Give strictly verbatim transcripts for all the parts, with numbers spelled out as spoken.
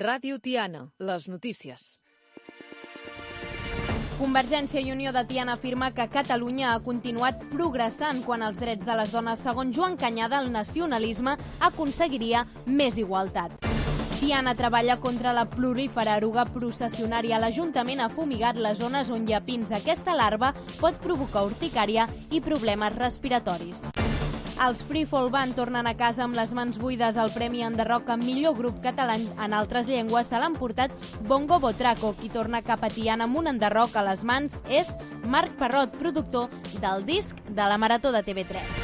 Ràdio Tiana, les notícies. Convergència i Unió de Tiana afirma que Catalunya ha continuat progressant quan els drets de les dones, segons Joan Cañada, el nacionalisme aconseguiria més igualtat. Tiana treballa contra la prolífera eruga processionària. L'Ajuntament ha fumigat les zones on hi ha pins. Aquesta larva pot provocar urticària i problemes respiratoris. Els Free Fall Band tornen a casa amb les mans buides. El Premi Enderroc amb millor grup català en altres llengües se l'han portat Bongo Botraco. Qui torna cap a Tiana amb un enderroc a les mans és Marc Parrot, productor del disc de la Marató de T V tres.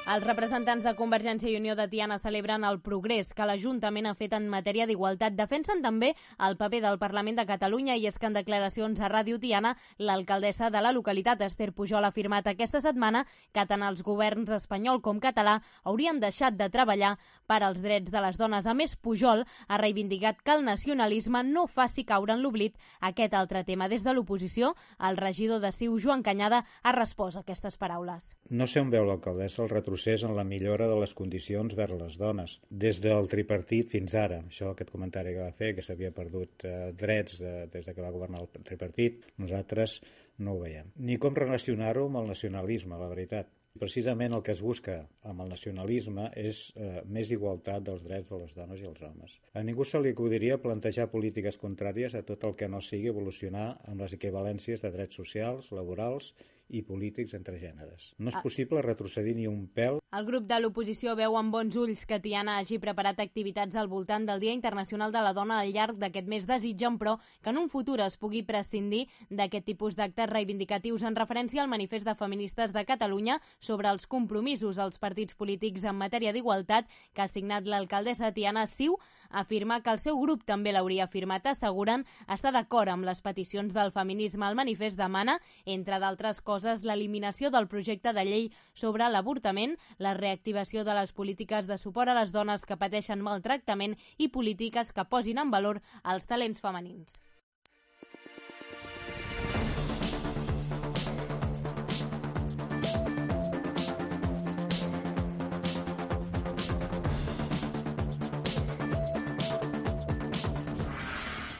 Els representants de Convergència i Unió de Tiana celebren el progrés que l'Ajuntament ha fet en matèria d'igualtat. Defensen també el paper del Parlament de Catalunya i és que en declaracions a Ràdio Tiana l'alcaldessa de la localitat, Esther Pujol, ha afirmat aquesta setmana que tant els governs espanyol com català haurien deixat de treballar per als drets de les dones. A més, Pujol ha reivindicat que el nacionalisme no faci caure en l'oblit aquest altre tema. Des de l'oposició, el regidor de C I U, Joan Cañada, ha respost a aquestes paraules. No sé on veu l'alcaldessa el retrocés en la millora de les condicions vers les dones. Des del tripartit fins ara, això aquest comentari que va fer, que s'havia perdut eh, drets eh, des de que va governar el tripartit, nosaltres no ho veiem. Ni com relacionar-ho amb el nacionalisme, la veritat. Precisament el que es busca amb el nacionalisme és eh, més igualtat dels drets de les dones i els homes. A ningú se li acudiria plantejar polítiques contràries a tot el que no sigui evolucionar amb les equivalències de drets socials, laborals i polítics entre gèneres. No és possible retrocedir ni un pèl. El grup de l'oposició veu amb bons ulls que Tiana hagi preparat activitats al voltant del Dia Internacional de la Dona al llarg d'aquest mes. Desitgen, però, que en un futur es pugui prescindir d'aquest tipus d'actes reivindicatius en referència al manifest de feministes de Catalunya sobre els compromisos als partits polítics en matèria d'igualtat que ha signat l'alcaldessa de Tiana. C I U afirma que el seu grup també l'hauria firmat. Asseguren estar d'acord amb les peticions del feminisme. El manifest demana, entre d'altres coses, l'eliminació del projecte de llei sobre l'avortament, la reactivació de les polítiques de suport a les dones que pateixen maltractament i polítiques que posin en valor els talents femenins.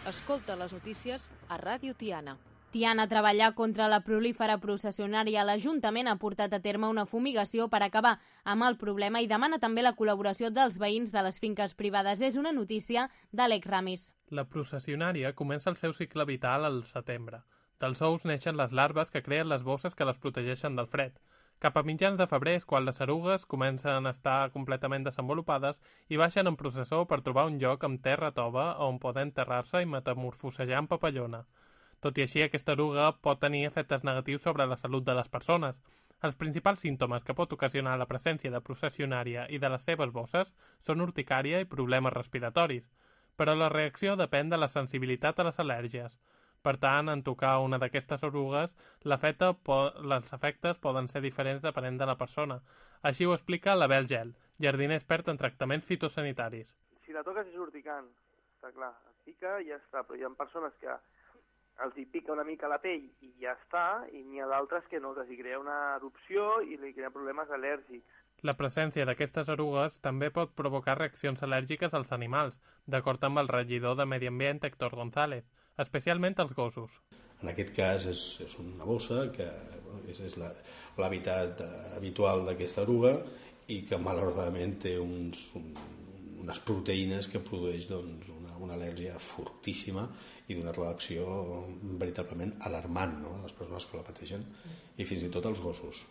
Escolta les notícies a Ràdio Tiana. Tiana treballa contra la prolífera processionària. L'Ajuntament ha portat a terme una fumigació per acabar amb el problema i demana també la col·laboració dels veïns de les finques privades. És una notícia d'Àlex Ramis. La processionària comença el seu cicle vital al setembre. Dels ous neixen les larves que creen les bosses que les protegeixen del fred. Cap a mitjans de febrer és quan les erugues comencen a estar completament desenvolupades i baixen en processó per trobar un lloc amb terra tova on poden enterrar-se i metamorfosejar en papallona. Tot i així, aquesta eruga pot tenir efectes negatius sobre la salut de les persones. Els principals símptomes que pot ocasionar la presència de processionària i de les seves bosses són urticària i problemes respiratoris, però la reacció depèn de la sensibilitat a les al·lèrgies. Per tant, en tocar una d'aquestes erugues, l'efecte po- els efectes poden ser diferents depenent de la persona. Així ho explica l'Abel Gel, jardiner expert en tractaments fitosanitaris. Si la toques és urticant, està clar, es pica i ja està, però hi ha persones que els hi pica una mica la pell i ja està, i n'hi ha d'altres que no, que s'hi crea una erupció i li crea problemes al·lèrgics. La presència d'aquestes erugues també pot provocar reaccions al·lèrgiques als animals, d'acord amb el regidor de Medi Ambient, Héctor González, especialment als gossos. En aquest cas és, és una bossa que bueno, és, és l'hàbitat habitual d'aquesta eruga i que malauradament té uns, un, unes proteïnes que produeix doncs, una, una al·lèrgia fortíssima i d'una reacció veritablement alarmant, no?, a les persones que la pateixen i fins i tot als gossos,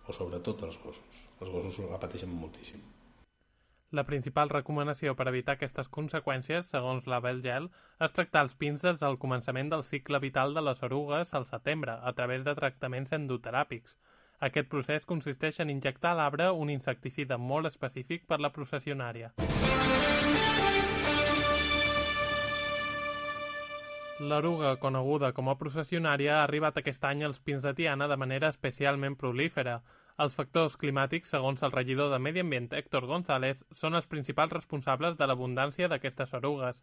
o sobretot als gossos. Els gossos la pateixen moltíssim. La principal recomanació per evitar aquestes conseqüències, segons l'Abel Gel, és tractar els pins des del començament del cicle vital de les erugues al setembre, a través de tractaments endoteràpics. Aquest procés consisteix en injectar a l'arbre un insecticida molt específic per la processionària. L'eruga, coneguda com a processionària, ha arribat aquest any als pins de Tiana de manera especialment prolífera. Els factors climàtics, segons el regidor de Medi Ambient, Héctor González, són els principals responsables de l'abundància d'aquestes erugues.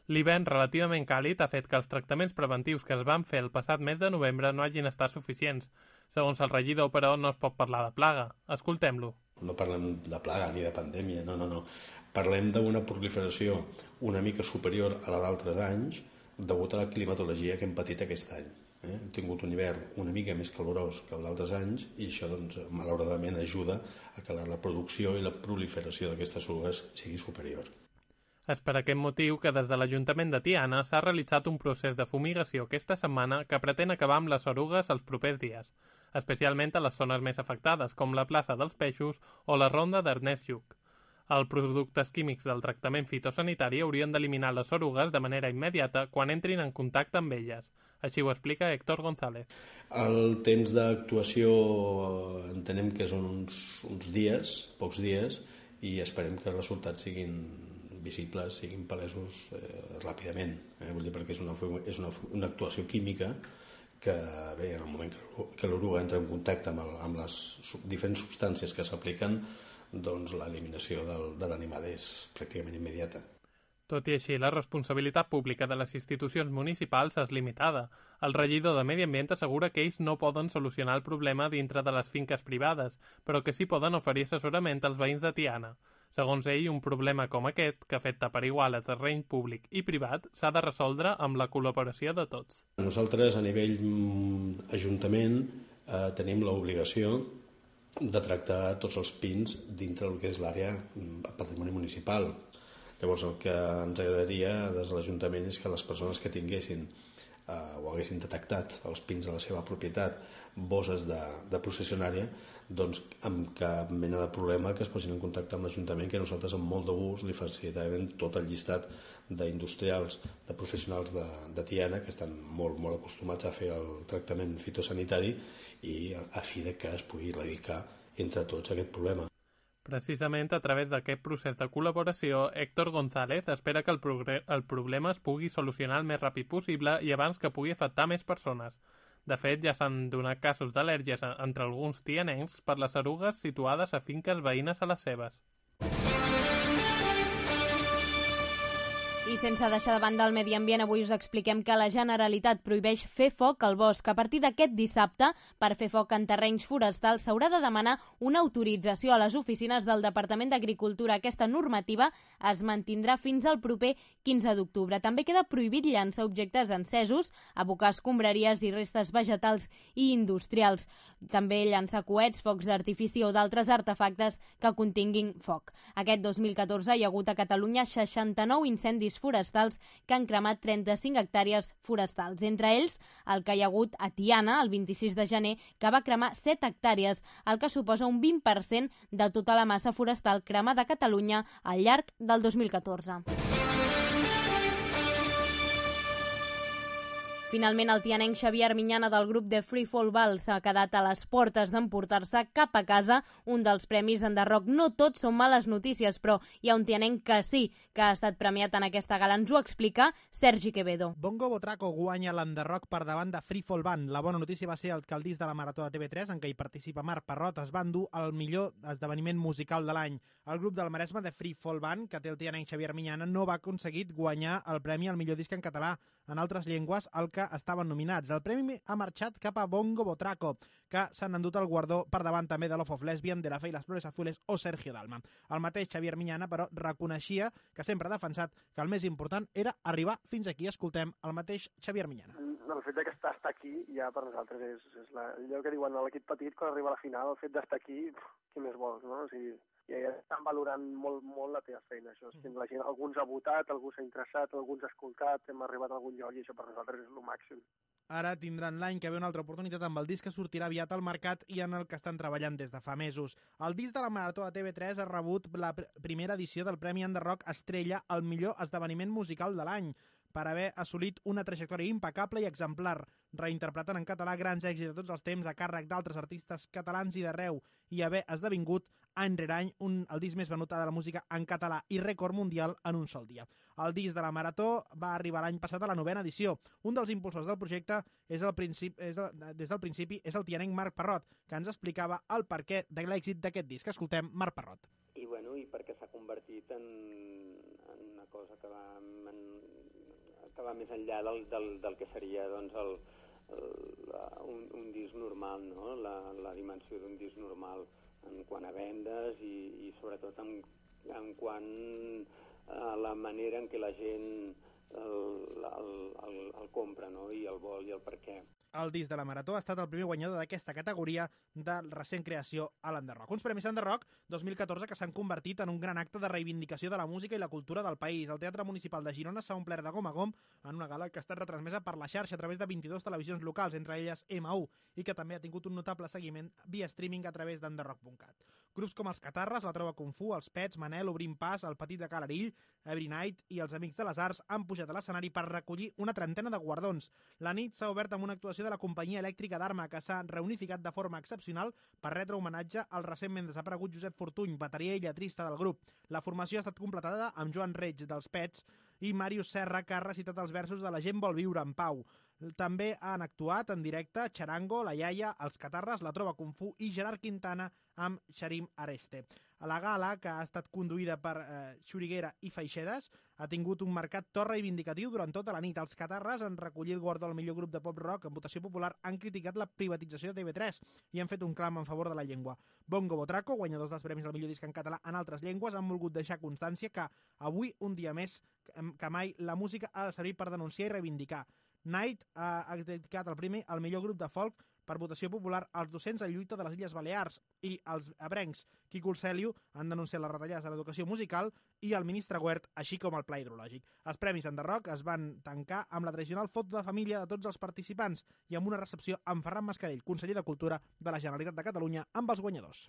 L'hivern relativament càlid ha fet que els tractaments preventius que es van fer el passat mes de novembre no hagin estat suficients. Segons el regidor, però, no es pot parlar de plaga. Escoltem-lo. no parlem de plaga ni de pandèmia, no, no, no. Parlem d'una proliferació una mica superior a la d'altres anys degut a la climatologia que hem patit aquest any. Eh? Hem tingut un hivern una mica més calorós que el d'altres anys i això, doncs, malauradament ajuda a que la reproducció i la proliferació d'aquestes erugues sigui superior. És per aquest motiu que des de l'Ajuntament de Tiana s'ha realitzat un procés de fumigació aquesta setmana que pretén acabar amb les erugues els propers dies, especialment a les zones més afectades, com la plaça dels Peixos o la ronda d'Ernest Lluch. Els productes químics del tractament fitosanitari haurien d'eliminar les erugues de manera immediata quan entrin en contacte amb elles. Així ho explica Héctor González. El temps d'actuació entenem que són uns, uns dies, pocs dies, i esperem que els resultats siguin visibles, siguin palesos eh, ràpidament. Eh? Vull dir, perquè és, una, és una, una actuació química que, bé, en el moment que l'oruga entra en contacte amb, el, amb les diferents substàncies que s'apliquen, doncs l'eliminació del, de l'animal és pràcticament immediata. Tot i així, la responsabilitat pública de les institucions municipals és limitada. El regidor de Medi Ambient assegura que ells no poden solucionar el problema dintre de les finques privades, però que sí poden oferir assessorament als veïns de Tiana. Segons ell, un problema com aquest, que afecta per igual a terreny públic i privat, s'ha de resoldre amb la col·laboració de tots. Nosaltres, a nivell mm, ajuntament, eh, tenim l'obligació de tractar tots els pins dintre del que és l'àrea patrimoni municipal. Llavors, el que ens agradaria des de l'Ajuntament és que les persones que tinguessin eh, o haguessin detectat els pins de la seva propietat, bosses de, de processionària, doncs amb cap mena de problema que es posin en contacte amb l'Ajuntament, que nosaltres amb molt de gust li facilitarem tot el llistat d'industrials, de professionals de, de Tiana que estan molt, molt acostumats a fer el tractament fitosanitari i a, a fi de que es pugui erradicar entre tots aquest problema. Precisament a través d'aquest procés de col·laboració, Héctor González espera que el, el problema es pugui solucionar el més ràpid possible i abans que pugui afectar més persones. De fet, ja s'han donat casos d'al·lèrgies entre alguns tianencs per les erugues situades a finques veïnes a les seves. I sense deixar de banda el medi ambient, avui us expliquem que la Generalitat prohibeix fer foc al bosc. A partir d'aquest dissabte, per fer foc en terrenys forestals s'haurà de demanar una autorització a les oficines del Departament d'Agricultura. Aquesta normativa es mantindrà fins al proper quinze d'octubre. També queda prohibit llançar objectes encesos, abocar escombraries i restes vegetals i industrials. També llançar coets, focs d'artifici o d'altres artefactes que continguin foc. Aquest dos mil catorze hi ha hagut a Catalunya seixanta-nou incendis forestals que han cremat trenta-cinc hectàrees forestals. Entre ells, el que hi ha hagut a Tiana, el vint-i-sis de gener, que va cremar set hectàrees, el que suposa un vint per cent de tota la massa forestal cremada a Catalunya al llarg del dos mil catorze. Finalment, el tianenc Xavier Armiñana del grup de Free Fall Ball s'ha quedat a les portes d'emportar-se cap a casa un dels premis Enderrock. No tots són males notícies, però hi ha un tianenc que sí, que ha estat premiat en aquesta gala. Ens ho explica Sergi Quevedo. Bongo Botraco guanya l'Enderrock per davant de Free Fall Band. La bona notícia va ser el que el disc de la Marató de T V tres, en què hi participa Marc Parrot, es va endur el millor esdeveniment musical de l'any. El grup del Maresme de Free Fall Band, que té el tianenc Xavier Armiñana, no va aconseguir guanyar el premi al millor disc en català en altres llengües, el que estaven nominats. El premi ha marxat cap a Bongo Botraco, que s'han endut el guardó per davant també de Love of Lesbian, de La Fe i les Flores Azules o Sergio Dalma. El mateix Xavier Miñana, però, reconeixia que sempre ha defensat que el més important era arribar fins aquí. Escoltem el mateix Xavier Miñana. El fet de que està, està aquí ja per nosaltres és, és la, allò que diuen a l'equip petit quan arriba a la final, el fet d'estar aquí, pff, què més vols, no? O sigui, ja, ja estan valorant molt, molt la teva feina. Això. Mm. La gent, algú ens ha votat, algú s'ha interessat, algú ens ha escoltat, hem arribat a algun lloc i això per nosaltres és el màxim. Ara tindran l'any que ve una altra oportunitat amb el disc que sortirà aviat al mercat i en el que estan treballant des de fa mesos. El disc de la Marató de T V tres ha rebut la pr primera edició del Premi Enderrock Estrella al millor esdeveniment musical de l'any, per haver assolit una trajectòria impecable i exemplar, reinterpretant en català grans èxits de tots els temps a càrrec d'altres artistes catalans i d'arreu, i haver esdevingut any rere any un, el disc més venut de la música en català i rècord mundial en un sol dia. El disc de la Marató va arribar l'any passat a la novena edició. Un dels impulsors del projecte és el principi, és el, des del principi és el tianenc Marc Parrot, que ens explicava el perquè de l'èxit d'aquest disc. Escoltem Marc Parrot. I, bueno, i perquè s'ha convertit en, en una cosa que va, en, que va més enllà del, del, del que seria doncs, el, el, un, un disc normal, no? la, la dimensió d'un disc normal. en quant a vendes i, i sobretot en, en quant a la manera en què la gent el, el, el, el compra, no? I el vol i el per què. El disc de la Marató ha estat el primer guanyador d'aquesta categoria de recent creació a l'Enderroc. Uns Premis Enderroc dos mil catorze que s'han convertit en un gran acte de reivindicació de la música i la cultura del país. El Teatre Municipal de Girona s'ha omplert de gom a gom en una gala que ha estat retransmesa per la xarxa a través de vint-i-dues televisions locals, entre elles ema u, i que també ha tingut un notable seguiment via streaming a través d'enderroc punt cat. Grups com els Catarres, la Trova Kung Fu, els Pets, Manel, Obrim Pas, el Petit de Calarill, Every Night i els Amics de les Arts han pujat a l'escenari per recollir una trentena de guardons. La nit s'ha obert amb una actuació de la companyia elèctrica d'Arma, que s'ha reunificat de forma excepcional per retre homenatge al recentment desaparegut Josep Fortuny, bateria i lletrista del grup. La formació ha estat completada amb Joan Reig dels Pets i Màrius Serra, que ha recitat els versos de La gent vol viure en pau. També han actuat en directe Charango, La Iaia, els Catarres, la Trova Kung Fu i Gerard Quintana amb Xarim Areste. A la gala, que ha estat conduïda per eh, Xuriguera i Feixedes, ha tingut un marcat to reivindicatiu durant tota la nit. Els Catarres han recollit el guardó al millor grup de pop-rock en votació popular, han criticat la privatització de te ve tres i han fet un clam en favor de la llengua. Bongo Botraco, guanyadors dels premis al millor disc en català en altres llengües, han volgut deixar constància que avui, un dia més que mai, la música ha de servir per denunciar i reivindicar. Night ha dedicat el primer al millor grup de folk per votació popular als docents en lluita de les Illes Balears, i els ebrencs Quico Urcelio han denunciat les retallades de l'educació musical i el ministre Güert, així com el pla hidrològic. Els Premis Enderroc es van tancar amb la tradicional foto de família de tots els participants i amb una recepció amb Ferran Mascarell, conseller de Cultura de la Generalitat de Catalunya, amb els guanyadors.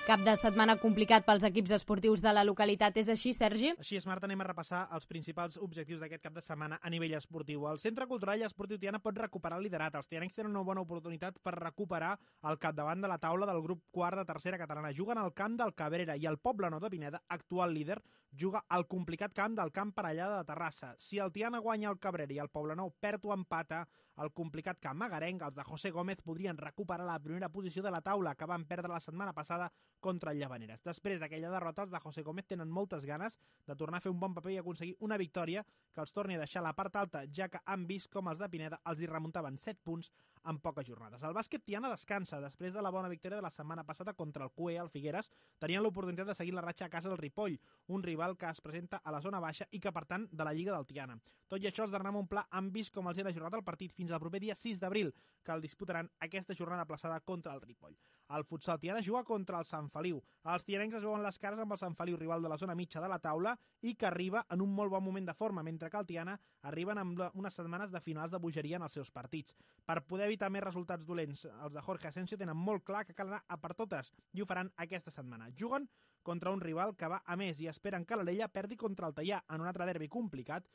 Cap de setmana complicat pels equips esportius de la localitat, és així, Sergi? Així és, Marta, anem a repassar els principals objectius d'aquest cap de setmana a nivell esportiu. El Centre Cultural i Esportiu Tiana pot recuperar el liderat. Els tianencs tenen una bona oportunitat per recuperar el capdavant de la taula del grup quart de tercera catalana. Juguen al camp del Cabrera i el Poblenou de Pineda, actual líder, juga al complicat camp del Camp Parellada de Terrassa. Si el Tiana guanya el Cabrera i el Poblenou perd o empata el complicat camp magarenc, els de José Gómez podrien recuperar la primera posició de la taula, que van perdre la setmana passada contra el Llavaneres. Després d'aquella derrota, els de José Gómez tenen moltes ganes de tornar a fer un bon paper i aconseguir una victòria que els torni a deixar a la part alta, ja que han vist com els de Pineda els hi remuntaven set punts en poques jornades. El bàsquet Tiana descansa. Després de la bona victòria de la setmana passada contra el Q E, el Figueres, tenien l'oportunitat de seguir la ratxa a casa del Ripoll, un rival que es presenta a la zona baixa i que, per tant, de la Lliga del Tiana. Tot i això, els d'Hernán Montplà han vist com els hi han ajornat el partit fins al proper dia sis d'abril, que el disputaran aquesta jornada aplaçada contra el Ripoll. El futsal Tiana juga contra el Sant Feliu. Els tianencs es veuen les cares amb el Sant Feliu, rival de la zona mitja de la taula i que arriba en un molt bon moment de forma, mentre que el Tiana arriben amb unes setmanes de finals de bogeria en els seus partits. Per poder evitar més resultats dolents, els de Jorge Asensio tenen molt clar que cal anar a per totes i ho faran aquesta setmana. Juguen contra un rival que va a més i esperen que l'Alella perdi contra el Teià en un altre derbi complicat,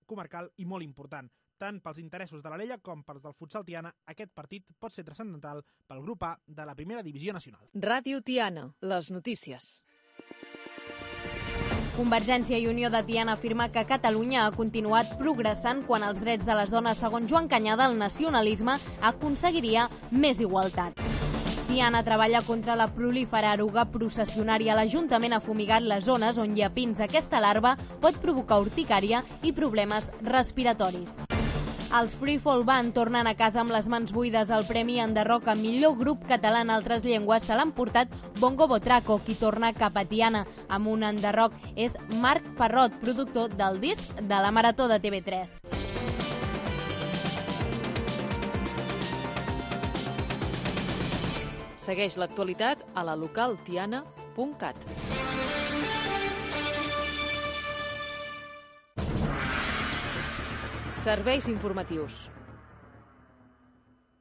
comarcal i molt important. Tant pels interessos de l'Alella com pels del futsal Tiana, aquest partit pot ser transcendental pel grup A de la primera divisió nacional. Ràdio Tiana, les notícies. Convergència i Unió de Tiana afirma que Catalunya ha continuat progressant quan els drets de les dones, segons Joan Canyada, el nacionalisme aconseguiria més igualtat. Tiana treballa contra la prolífera eruga processionària. L'Ajuntament ha fumigat les zones on hi ha pins. Aquesta larva pot provocar urticària i problemes respiratoris. Els Free Fall Band tornen a casa amb les mans buides. El Premi Enderroc a millor grup català en altres llengües se l'han portat Bongo Botraco, qui torna cap a Tiana amb un enderroc és Marc Parrot, productor del disc de la Marató de te ve tres. Segueix l'actualitat a la local tiana punt cat. Serveis informatius.